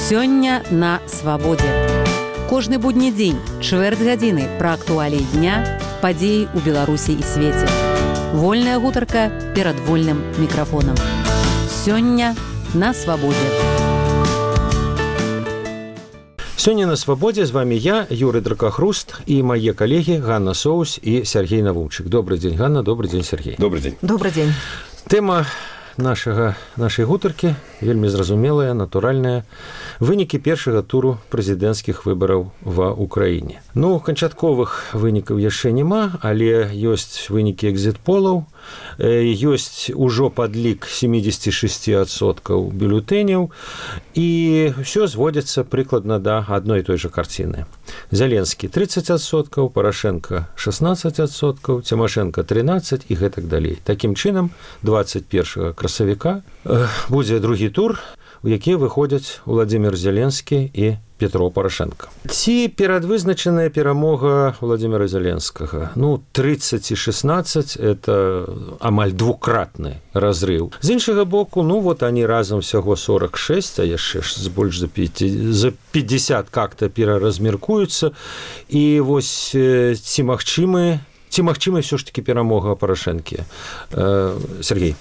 Сёння на свабодзе. Кожны будні дзень, чвэрць гадзіны пра актуаліі дня, падзеі ў Беларусі і свеце. Вольная гутарка перад вольным мікрафонам. Сёння на свабодзе. Сёння на свабодзе з вами я, Юрый Дракахруст, і мае калегі Ганна Соус і Сергей Навумчык. Добрый дзень, Ганна, добрый дзень, Сергей. Добрый дзень. Добрый дзень. Тэма нашай гутаркі вельмі зразумелая, натуральная. Вынікі першага туру прэзідэнцкіх выбараў ва ўкраіне. Канчатковых вынікаў яшчэ няма, але ёсць вынікі экзіт-полаў, ёсць ужо падлік 76% бюлетэняў, і ўсё зводзіцца прыкладна да адной і той жа карціны. Зеленскі 30%, Парашенко 16%, Цімашенко 13% і гэтак далей. Такім чынам, 21 красавіка будзе другі тур, у які выходзяць Владимир Зеленскі і Петро Порошенко. Ці перадвызначаная перамога Владимира Зеленскага? 30 і 16 – это амаль двукратны разрыв. З іншага боку, они разам всяго 46, а яшчэ больш за 50 как-то пераразмеркуюцца. І вось ці магчымы ўсё ж таки перамога Порошенкі? Сергей.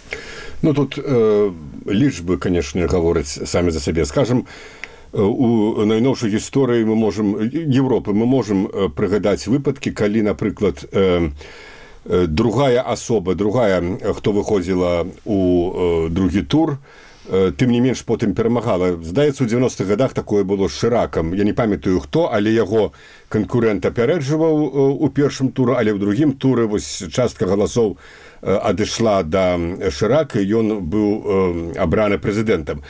Тут лічбы, конечно, гавораць самі за сябе. Скажем, у найноўшай гісторыі Европы мы можам прыгадаць выпадкі, калі, напрыклад, другая асоба, хто выходзіла у другі тур, тым не менш потым перамагала. Здаецца, у 90-х годах такое было з Шыракам. Я не памятаю хто, але яго канкурэнт апярэджваў у першым туры, але ў другім туры частка галасоў адышла да Шырака, і ён быў абраны прэзідэнтам.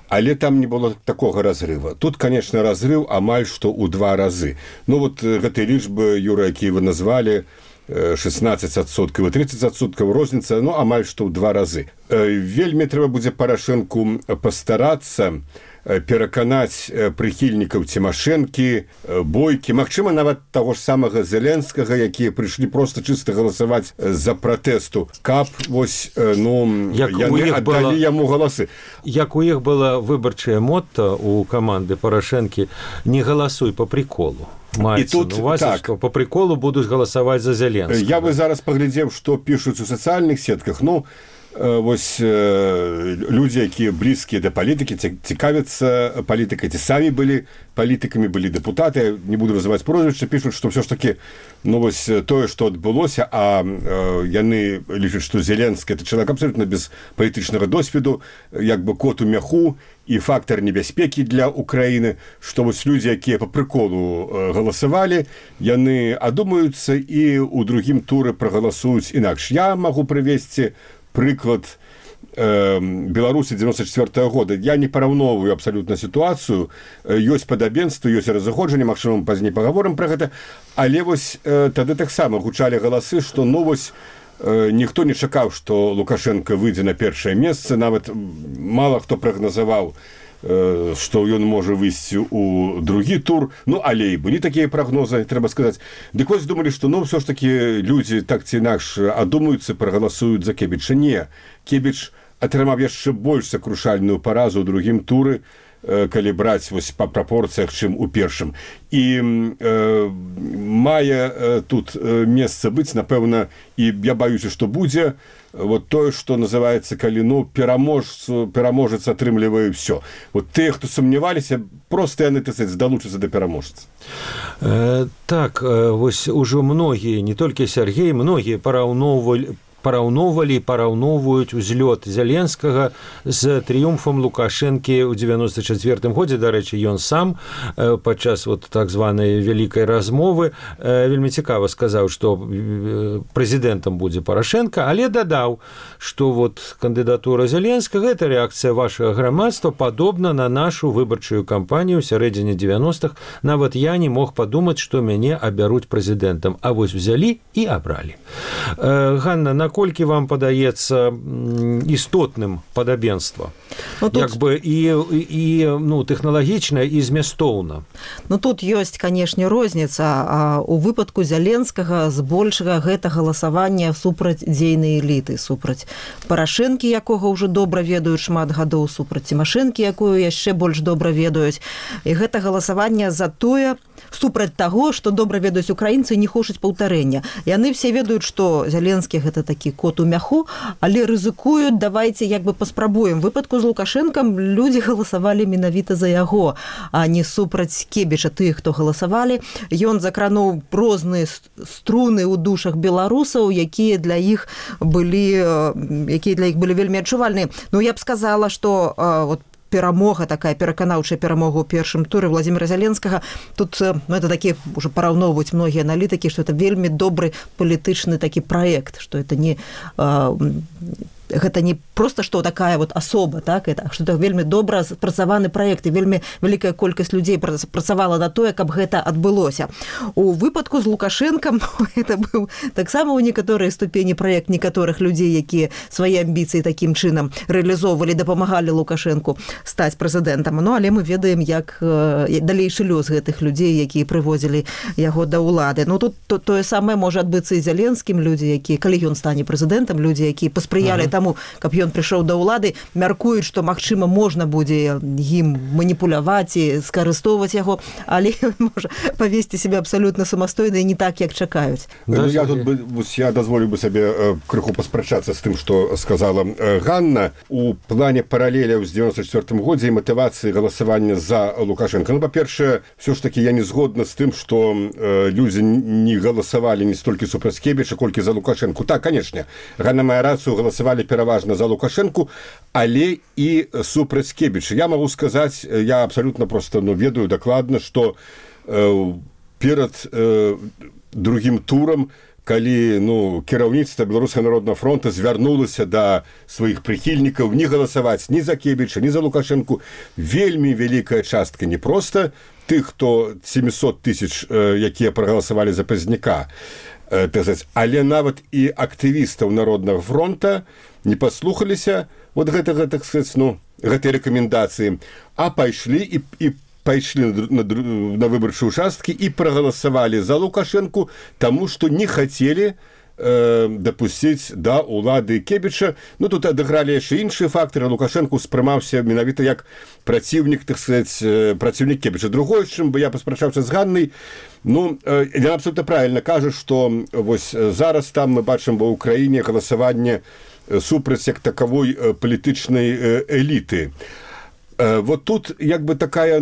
Але там не было такога разрыва. Тут, конечно, разрыв амаль што ў 2 разы. Гэтыя лічбы, Юра, якія вы назвалі, 16% і 30%, розніца, амаль што ў 2 разы. Вельмі трэба будзе Парашэнку пастарацца пераканаць прыхільнікаў Цімашэнкі, Бойкі, магчыма, нават таго ж самага Зеленскага, якія прыйшлі проста чыста галасаваць за пратэсту, каб яны аддалі яму галасы. Як у іх была выбарчая мotto у каманды Парашэнкі: не галасуй по приколу. І тут, так, по приколу будуць галасаваць за Зеленскага. Я бы зараз паглядзеў, што пішуць у сацыяльных сетках. Людзі, якія блізкія да палітыкі, цікавяцца палітыкай, ці самі былі палітыкамі, былі дэпутаты, не буду называць прозвішча, пішуць, што ўсё ж такі тое, што адбылося, а яны лічаць, што Зеленскі — это чалавек абсолютна без палітычнага досведу, як бы кот у мяху і фактар небяспекі для Украіны, што людзі, якія па прыколу галасавалі, яны адумаюцца і ў другім туры прагаласуюць інакш. Я магу прывесці прыклад Беларусі 94-го года. Я не параўноўваю абсалютна сітуацыю. Ёсць падабенства, ёсць разыходжанне, магчыма, пазней пагаворым пра гэта. Але тады таксама гучалі галасы, што ніхто не чакаў, што Лукашенко выйдзе на першае месца. Нават мала хто прагназаваў, што ён можа выйсці ў другі тур. Але і былі такія прагнозы, трэба сказаць. Дык вось думалі, што ўсё ж такі людзі так ці інакш адумаюцца, прагаласуюць за Кебіча. Не. Кебіч атрымаў яшчэ больш сакрушальную паразу ў другім туры, калі браць па прапорцыях, чым у першым. І мае тут месца быць, напэўна, і я баюся, што будзе тое, што называецца, калі пераможец атрымлівае ўсё. Тыя, хто сумняваліся, проста яны далучацца да пераможцы. Так, ужо многія, не толькі Сергей, многія параўноўваюць узлёт Зеленскага з трыумфам Лукашэнкі ў 94-м годзе. Дарэчы, ён сам падчас так званай вялікай размовы вельмі цікава сказаў, што прэзідэнтам будзе Парашенко, але дадаў, што кандыдатура Зеленскага — гэта рэакцыя вашага грамадства, падобна на нашу выбарчую кампанію ў сярэдзіне 90-х. Нават я не мог падумаць, што мяне абяруць прэзідэнтам. А взялі і абралі. Ганна, наколькі вам падаецца істотным падабенства? як бы і ну, тэхналагічна і змястоўна. Ну тут ёсць, канешне, розніца. У выпадку Зяленскага збольшага гэта галасаванне супраць дзейнай эліты, супраць Парашэнкі, якога ўжо добра ведаюць шмат гадоў, супраць Цімашэнкі, якую яшчэ больш добра ведаюць. І гэта галасаванне за тое, супраць таго, што добра ведаюць украінцы, не хочуць паўтарэння. Яны все ведаюць, што Зяленскі гэта такі кот у мяху, але рызыкуюць, давайце як бы паспрабуем. В выпадку з Лукашэнкам людзі галасавалі менавіта за яго, а не супраць Кебіча, тых, хто галасавалі. Ён закрануў розныя струны ў душах беларусаў, якія для іх былі вельмі адчувальныя. Ну, я б сказала, што вот перамога, такая пераканаўчая перамога ў першым туры Владзіміра Зяленскага. Тут, ну, это такі, уже параўноўваюць многія аналітыкі, што это вельмі добры палітычны такі праект, што это не... Гэта не просто што такая вот асоба, так, што это вельмі добра спрацаваны праект, і вельмі вялікая колькасць людзей працавала на тое, каб гэта адбылося. У выпадку з Лукашэнкам это быў таксама ў некаторай ступені праект некаторых людзей, якія свае амбіцыі такім чынам рэалізоўвалі, дапамагалі Лукашэнку стаць прэзідэнтам. Ну, але мы ведаем, як далейшы лёс гэтых людзей, якія прыводзілі яго да ўлады. Ну, тут тое самае можа адбыцца і Зяленскім. Людзі, якія, калі ён стане прэзідэнтам, людзі, якія паспрыялі таму, каб ён прыйшоў да ўлады, мяркуюць, што, магчыма, можна будзе ім маніпуляваць і скарыстоўваць яго, але можа павесці сябе абсалютна самастойна і не так, як чакаюць. Ну, я дазволю бы сабе крыху паспрачацца з тым, што сказала Ганна. У плане паралеляў з 94 годзе і матывацыі галасавання за Лукашенко. Ну, па-першае, все ж таки я не згодна з тым, што людзі не галасавалі не столькі супраць Кебіча, колькі за Лукашенко. Так, канешне, Ганна мае рацыю, галасавалі пераважна за Лукашенко, але і супраць Кебіча. Я магу сказаць, я абсалютна просто ведаю дакладна, што перад другім турам, калі кіраўніцтва Беларускага народнага фронта звярнулася да сваіх прыхільнікаў не галасаваць ні за Кебіча, ні за Лукашенко, вельмі вялікая частка не проста тых, хто 700 тысяч, якія прагаласавалі за Пазняка, але нават і актывістаў Народнага фронта не паслухаліся вот гэтага, так сказаць, гэтай рэкамендацыі, а пайшлі на выбарчыя участкі і прагаласавалі за Лукашенко, таму што не хацелі дапусціць да ўлады Кебіча. Ну, тут адыгралі яшчэ іншыя фактары. Лукашенко спрымаўся менавіта як праціўнік, так сказаць, праціўнік Кебіча. Другое, чым бы я паспрачаўся з Ганнай, яна абсолютно правильно кажа, што вось зараз там мы бачым ва ўкраіне галасаванне супраць як такавой палітычнай эліты. Вот тут як бы такая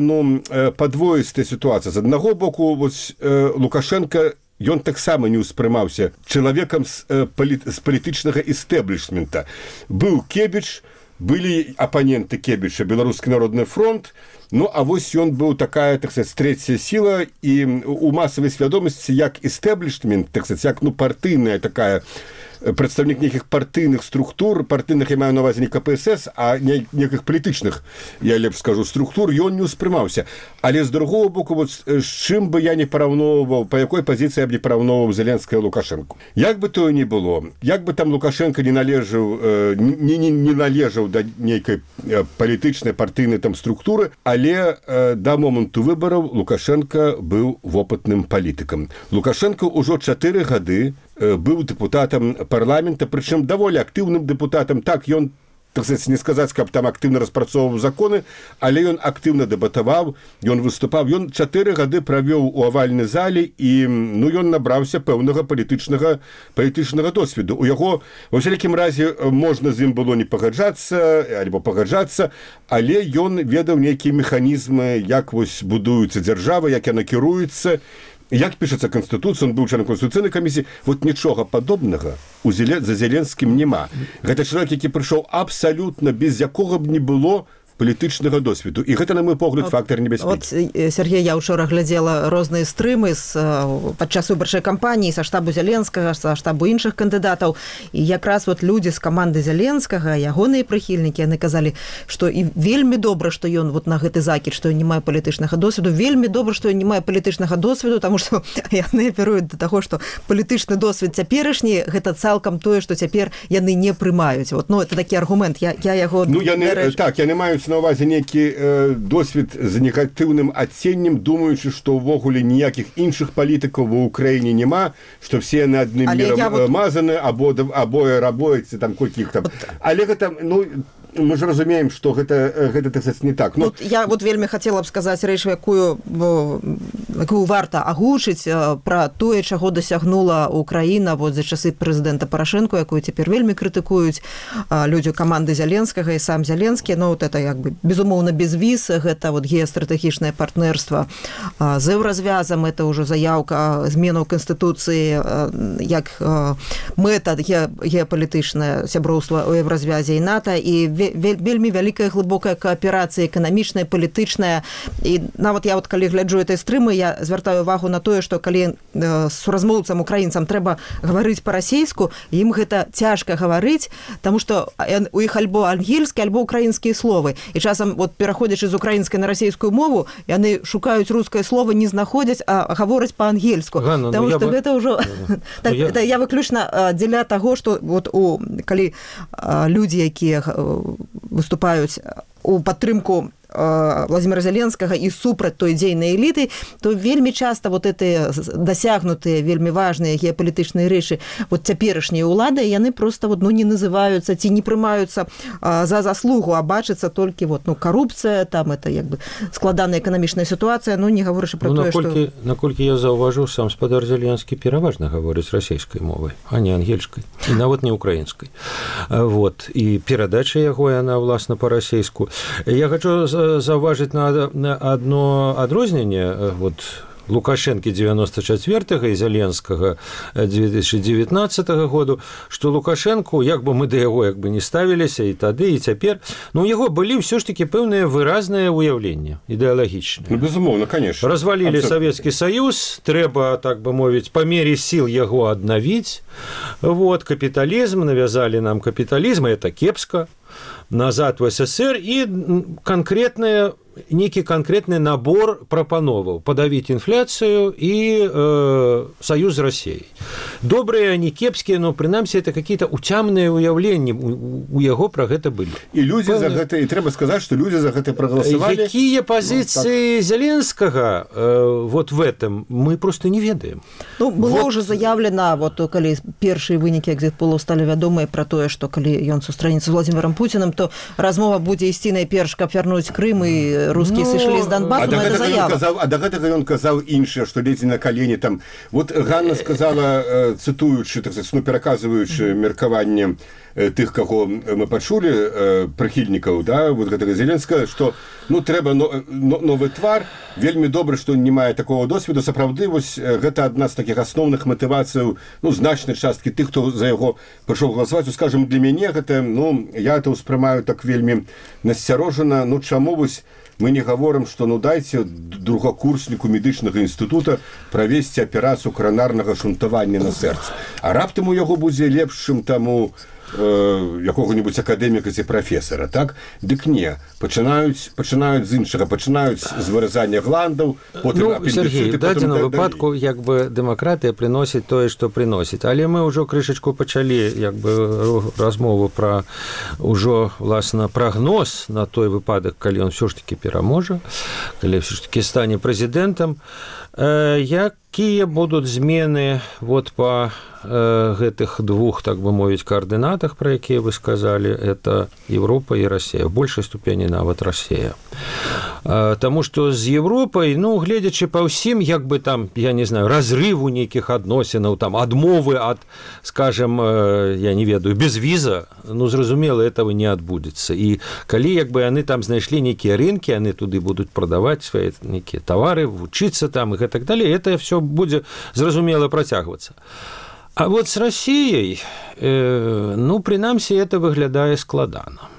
падвоістая сітуацыя. З аднаго боку, вось Лукашенко, ён таксама не ўспрымаўся чалавекам з палітычнага істэблішмента. Быў Кебіч, былі апаненты Кебіча, Беларускі народны фронт, а вось ён быў такая, так сказаць, трэцяя сіла, і у масавай свядомасці як істэблішмент, так сказаць, як партыйная такая, прадстаўнік нейкіх партыйных структур, партыйных я маю на ўвазе не КПСС, а нейкіх палітычных, я лепш скажу, структур, ён не ўспрымаўся. Але з другого боку, вот, з чым бы я не параўноўваў, па якой пазіцыі я б не параўноўваў Зеленскага і Лукашенко. Як бы тое ні было, як бы там Лукашенко не належаў да нейкай палітычнай партыйнай там структуры, але да моманту выбараў Лукашенко быў вопытным палітыкам. Лукашенко ўжо 4 гады быў дэпутатам парламента, прычым даволі актыўным дэпутатам. Так, ён, так сказаць, не сказаць, каб там актыўна распрацоўваў законы, але ён актыўна дэбатаваў, ён выступаў. Ён 4 гады правёў у авальнай зале, і ён набраўся пэўнага палітычнага досведу. У яго, ва ўсялякім разе, можна з ім было не пагаджацца, альбо пагаджацца, але ён ведаў нейкія механізмы, як вось будуецца дзяржава, як яна кіруецца, як пішацца Канстытуцыя, он быў членам Конституцыйнай камісіі. Вот нічога падобнага за Зеленскім няма. Гэта чалавек, які прыйшоў абсалютна без якога б не было палітычнага досведу. І гэта, на мой погляд, фактор небяспекі. Сергей, я учора глядзела розныя стрымы падчас выбарчай кампаніі са штабу Зяленскага, са штабу іншых кандыдатаў. І якраз людзі з каманды Зяленскага, ягоныя прыхільнікі, яны казалі, што і вельмі добра, што ён на гэты закід, што ён не мае палітычнага досведу, вельмі добра, што ён не мае палітычнага досведу, таму што яны апіруюць да таго, што палітычны досвед цяперашні гэта цалкам тое, што цяпер яны не прымаюць. Это такі аргумент. Я яго... Яны маюць на ўвазе нейкі досвед з негатыўным адценнем, думаючы, што ўвогуле ніякіх іншых палітыкаў ва ўкраіне няма, што все яны адным мірам мазаны, абое рабоюць, там колькі іх там. Але гэта, мы ж разумеем, што гэта так сказаць, не так. Я вельмі хацела б сказаць рэч, якую варта агучыць пра тое, чаго дасягнула Украіна за часы прэзідэнта Парашэнка, якую цяпер вельмі крытыкуюць людзі каманды Зяленскага і сам Зяленскі. Это безумоўна без віз, гэта геастратэгічнае партнерства з еўразвязам, это ўжо заяўка зменаў Канстытуцыі як мэта геапалітычнае сяброўства ў еўразвязе і НАТО, і вельмі вялікая глыбокая кааперацыя эканамічная, палітычная. І нават я калі гляджу этой стрымы, я звяртаю увагу на тое, што калі суразмоўцам украінцам трэба гаварыць па-расейску, ім гэта цяжка гаварыць, таму што у іх альбо ангельскія, альбо украінскія словы. І часам пераходзячы з украінскай на расейскую мову, яны шукаюць рускае слово, не знаходзяць, а гавораць па-ангельску. Таму што гэта ўжо... Я выключна дзеля таго, што калі людзі, якія выступаюць у падтрымку Владимира Зеленскага і супраць той дзейнай эліты, то вельмі часта гэтыя дасягнутыя, вельмі важныя геапалітычныя рэчы цяперашнія ўлады, яны проста не называюцца ці не прымаюцца за заслугу, а бачыцца толькі карупцыя, там это складаная эканамічная сітуацыя, не гаворыш пра тое, што... Наколькі я заўважыў, сам спадар Зеленскі пераважна гаворыць расійскай мовай, а не ангельскай, і нават не украінскай. І перадача яго, яна, власна, па-расейску. Я хочу заўважыць на одно адрозненне Лукашэнкі 94-го і Зеленскага 2019 году, што Лукашэнку, як бы мы да яго не ставіліся і тады, і цяпер, у яго былі ўсё ж такі пэўныя выразныя ўяўленні ідэалагічныя. Безумоўна, конечно. Развалілі Савецкі Саюз, трэба, так бы мовіць, па мере сіл яго аднавіць. Капіталізм, навязалі нам капіталізм, это кепска. Назад в СССР і нейкі канкрэтны набор прапановаў падавіць інфляцыю і саюз з Расіяй. Добрыя, не кепскія, но прынамсі это какие-то уцямныя ўяўленні у яго пра гэта былі. І людзі за гэта, і трэба сказаць, што людзі за гэта прагаласавалі. Якія пазіцыі Зеленскага в этом мы просто не ведаем. Было ўжо заявлена, калі першыя вынікі экзіт-полаў сталі вядомыя пра тое, што калі ён сустранецца з Владимиром Путиным, то размова будзе ісці найперш, каб вярнуць Крым і русскія сышлі з Донбасу, это заява. А да гэтага ён казаў іншае, што ледзь на калені там. Ганна сказала, цытуючы, так сказать, пераказваючы меркаванне тых, каго мы пачулі, прыхільнікаў, гэтага Зеленскага, што трэба новы твар, вельмі добра, што не мае такого досведу. Сапраўды, гэта адна з такіх асноўных матывацыяў, значнай часткі тых, хто за яго прыйшоў галасаваць. Скажам, для мяне гэта, я это ўспрымаю так вельмі насцярожана. Чаму мы не гаворым, што дайце другакурсніку медычнага інстытута правесці аперацыю коронарнага шунтавання на сэрца. А раптам у яго будзе лепшым таму якога-небудзь акадэміка ці прафесара, так? Дык не. Пачынаюць з іншага, пачынаюць з выразання гландаў, потым Сергей, в дадзеным выпадку дэмакратыя прыносіць тое, што прыносіць. Але мы ўжо крышачку пачалі размову пра ўжо, власна, прагноз на той выпадак, калі ён ўсё ж такі пераможа, калі ўсё ж такі стане прэзідэнтам. Якія будуць змены па гэтых двух, так бы мовіць, координатах, про якія вы сказали, это Европа и Россия, в большей ступені нават Россия. Тому что з Европой, гледзячы па ўсім, як бы там, я не знаю, разрыву нейкіх адносінаў, там, адмовы ад, скажем, я не ведаю, без віза, зразумела, этого не адбудзецца. І калі, як бы, яны там знайшлі нейкія рынкі, яны туды будуць прадаваць свае нейкія тавары, вучыцца там і так далее, это все будзе, зразумела, працягвацца. А с Россией, прынамсі, это выглядае складана.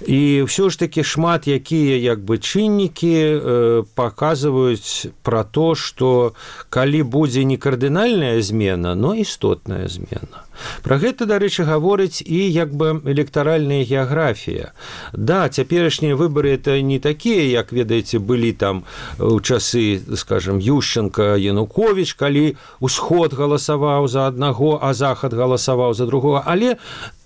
І ўсё ж такі шмат якія як бы чыннікі паказваюць пра то, што калі будзе не кардынальная змена, но істотная змена. Пра гэта, дарэчы, гаворыць і як бы электаральная геаграфія. Да, цяперашнія выбары это не такія, як, ведаеце, былі там у часы, скажем, Ющенко, Янукович, калі ўсход галасаваў за аднаго, а захад галасаваў за другого, але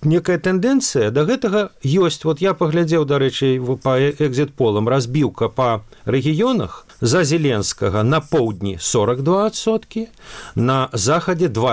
некая тэндэнцыя да гэтага ёсць. Вот я паглядзеў, дарэчы, па экзіт-полам, разбіўка па рэгіёнах. За Зеленскага на поўдні 42%, на захадзе 20%.